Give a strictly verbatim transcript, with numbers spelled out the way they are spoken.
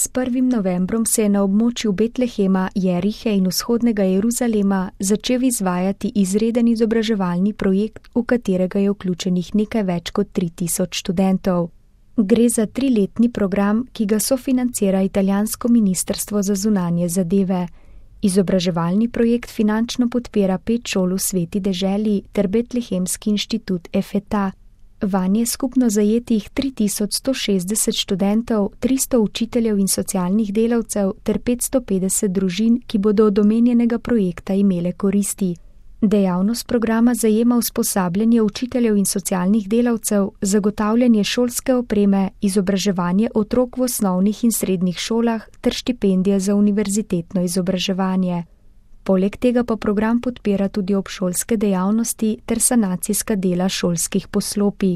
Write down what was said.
S prvim novembrom se je na območju Betlehema, Jerihe in vzhodnega Jeruzalema začel izvajati izreden izobraževalni projekt, v katerega je vključenih nekaj več kot tri tisoč študentov. Gre za triletni program, ki ga sofinancira italijansko ministrstvo za zunanje zadeve. Izobraževalni projekt finančno podpira pet šol v Sveti deželi ter Betlehemski inštitut Efeta. Vanje je skupno zajetih tri tisoč sto šestdeset študentov, tristo učiteljev in socialnih delavcev ter petsto petdeset družin, ki bodo od omenjenega projekta imele koristi. Dejavnost programa zajema usposabljanje učiteljev in socialnih delavcev, zagotavljanje šolske opreme, izobraževanje otrok v osnovnih in srednjih šolah ter štipendije za univerzitetno izobraževanje. Poleg tega pa program podpira tudi obšolske dejavnosti ter sanacijska dela šolskih poslopij.